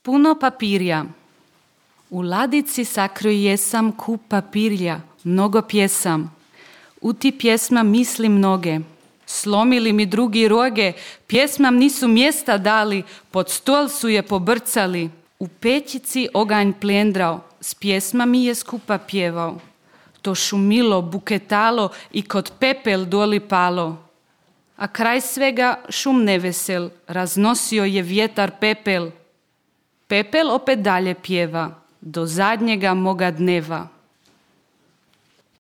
Puno papirja. U ladici sakrio jesam kup papirja, mnogo pjesam. U ti pjesma misli mnoge. Slomili mi drugi roge, pjesmam nisu mjesta dali, pod stol su je pobrcali. U pećici oganj plendrao, s pjesma mi je skupa pjevao. To šumilo, buketalo i kod pepel doli palo. A kraj svega šum nevesel, raznosio je vjetar pepel. Pepel opet dalje pjeva, do zadnjega moga dneva.